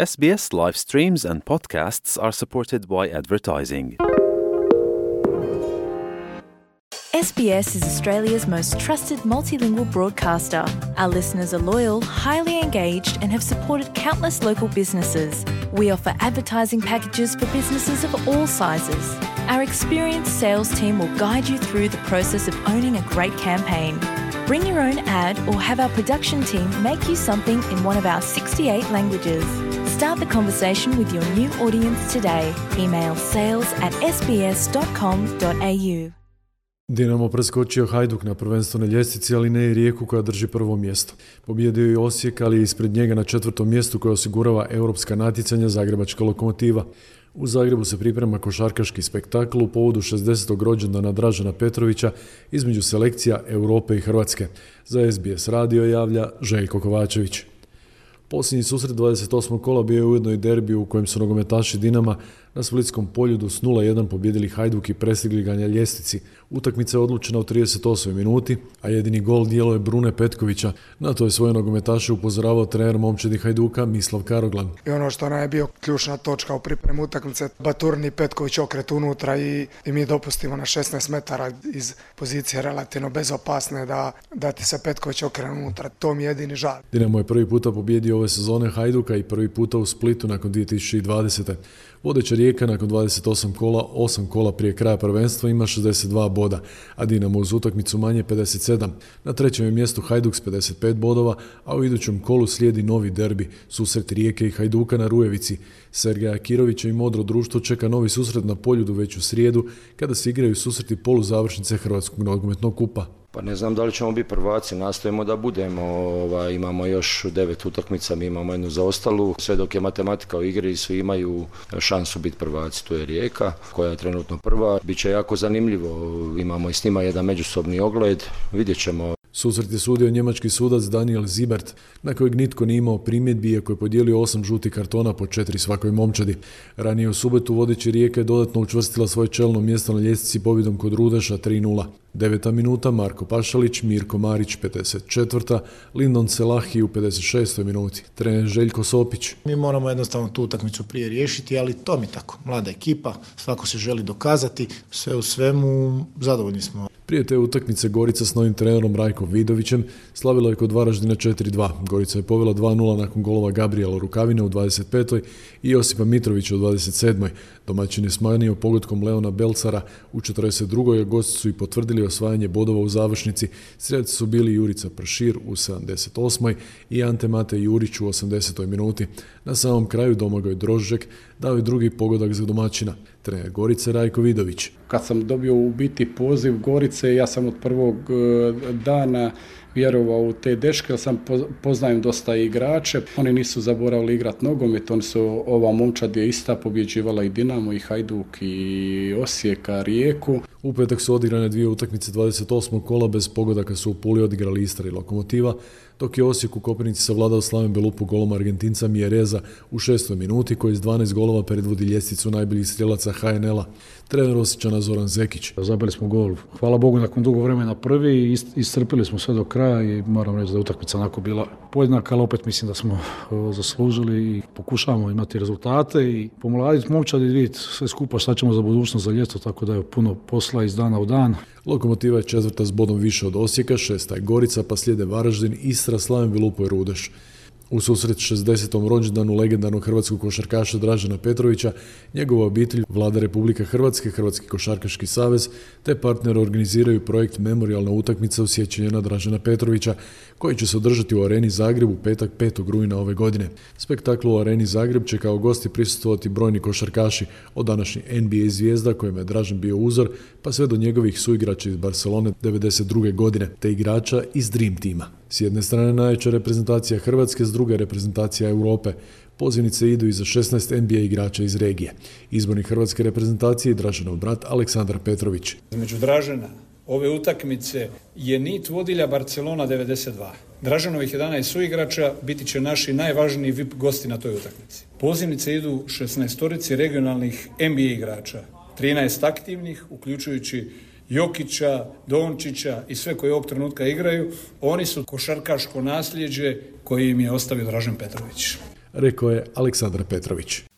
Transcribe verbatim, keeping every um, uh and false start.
S B S live streams and podcasts are supported by advertising. S B S is Australia's most trusted multilingual broadcaster. Our listeners are loyal, highly engaged, and have supported countless local businesses. We offer advertising packages for businesses of all sizes. Our experienced sales team will guide you through the process of owning a great campaign. Bring your own ad or have our production team make you something in one of our sixty-eight languages. Start the conversation with your new audience today. Email sales at s b s dot com dot a u. Dinamo preskočio Hajduk na prvenstvenoj ljestvici, ali ne i Rijeku koja drži prvo mjesto. Pobjedio je Osijek, ali je ispred njega na četvrtom mjestu koje osigurava europska natjecanja Zagrebačka Lokomotiva. U Zagrebu se priprema košarkaški spektakl u povodu šezdesetog rođendana Dražena Petrovića između selekcija Europe i Hrvatske. Za S B S radio javlja Željko Kovačević. Posljednji susret dvadeset osmog kola bio je ujedno i derbi u kojem su nogometaši Dinama na Splitskom Poljudu s nula jedan pobjedili Hajduk i prestigli ga na ljestvici. Utakmica je odlučena u trideset osmoj minuti, a jedini gol djelo je Brune Petkovića. Na to je svoje nogometaše upozoravao trener momčadi Hajduka Mislav Karoglan. I ono što nam je bio ključna točka u pripremu utakmice, Baturni i Petković okret unutra i, i mi dopustimo na šesnaest metara iz pozicije relativno bezopasne da, da ti se Petković okrene unutra. To mi je jedini žal. Dinamo je prvi puta pobjedio ove sezone Hajduka i prvi puta u Splitu nakon dvije tisuće dvadesete. Vodeća Rijeka nakon dvadeset osam kola, osam kola prije kraja prvenstva ima šezdeset dva boda, a Dinamo uz utakmicu manje pedeset sedam. Na trećem je mjestu Hajduk s pedeset pet bodova, a u idućem kolu slijedi novi derbi, susret Rijeke i Hajduka na Rujevici. Sergeja Kirovića i Modro društvo čeka novi susret na Poljudu već u srijedu, kada se igraju susreti poluzavršnice Hrvatskog nogometnog kupa. Pa ne znam da li ćemo biti prvaci, nastojimo da budemo, ovaj, imamo još devet utakmica, mi imamo jednu zaostalu, sve dok je matematika u igri, svi imaju šansu biti prvaci, tu je Rijeka koja je trenutno prva, biće jako zanimljivo, imamo i s njima jedan međusobni ogled, vidjet ćemo. Susret je sudio njemački sudac Daniel Zibert, na kojeg nitko nije imao primjedbi, iako je podijelio osam žutih kartona po četiri svakoj momčadi. Ranije u subotu vodeći Rijeka je dodatno učvrstila svoje čelno mjesto na ljestvici pobjedom kod Rudeša tri nula. Deveta minuta Marko Pašalić, Mirko Marić pedeset četvrta, Lindon Selahi u pedeset šestoj minuti, trener Željko Sopić. Mi moramo jednostavno tu utakmicu prije riješiti, ali to mi tako. Mlada ekipa, svako se želi dokazati, sve u svemu zadovoljni smo. Prije te utakmice Gorica s novim trenerom Rajkom Vidovićem slavila je kod Varaždina četiri dva. Gorica je povela dva nula nakon golova Gabriela Rukavine u dvadeset petoj i Josipa Mitrovića u dvadeset sedmoj. Domaćin je smanjio pogodkom Leona Belcara u četrdeset drugoj, a gosti su i potvrdili osvajanje bodova u završnici. Strelci su bili Jurica Pršir u sedamdeset osmoj i Ante Mate Jurić u osamdesetoj minuti. Na samom kraju Domagoj Drožek dao je drugi pogodak za domaćina. Trener Gorice Rajko Vidović. Kad sam dobio u biti poziv Gorice, ja sam od prvog dana vjerovao u te dečke, jer sam poznajem dosta igrače. Oni nisu zaboravili igrati nogomet, oni su, ova momčad je ista pobjeđivala i Dinamo, i Hajduk, i Osijeka, Rijeku. U petak su odigrane dvije utakmice dvadeset osmog kola, bez pogodaka su u Puli odigrali Istra i Lokomotiva, dok je Osijek u Koprivnici savladao Slaven Belupu golom Argentinca Mjereza u šestoj minuti, koji s dvanaest golova predvodi ljestvicu najboljih strijelaca H N L-a. Trener Osječana Zoran Zekić. Zabili smo gol, hvala Bogu, nakon dugo vremena prvi, iscrpili smo sve do kraja i moram reći da je utakmica onako bila podjednaka, ali opet mislim da smo o, zaslužili i pokušavamo imati rezultate i pomladiti momčad i vidjeti sve skupa šta ćemo za budućnost, za ljeto, tako da je puno posla iz dana u dan. Lokomotiva je četvrta s bodom više od Osijeka, šesta je Gorica, pa slijede Varaždin, Istra, Slaven Belupo i Rudeš. U susret šezdesetom rođendanu legendarnog hrvatskog košarkaša Dražena Petrovića, njegova obitelj, Vlada Republike Hrvatske, Hrvatski košarkaški savez te partner organiziraju projekt Memorijalna utakmica u sjećanje na Dražena Petrovića, koji će se održati u Areni Zagreb u petak petog rujna ove godine. Spektaklu u Areni Zagreb će kao gosti prisustvovati brojni košarkaši, od današnjih N B A zvijezda kojima je Dražen bio uzor, pa sve do njegovih suigrača iz Barcelone devedeset druge godine, te igrača iz Dream Teama. S jedne strane najjača reprezentacija Hrvatske, s druge reprezentacija Europe. Pozivnice idu i za šesnaest N B A igrača iz regije. Izbornik hrvatske reprezentacije je Draženov brat Aleksandar Petrović. Između Dražena ove utakmice je nit vodilja Barcelona devedeset dva. Draženovih jedanaest suigrača biti će naši najvažniji V I P gosti na toj utakmici. Pozivnice idu šesnaestorici regionalnih N B A igrača, trinaest aktivnih, uključujući Jokića, Dončića i sve koji ovog trenutka igraju. Oni su košarkaško nasljeđe koje im je ostavio Dražen Petrović. rekao je Aleksandar Petrović.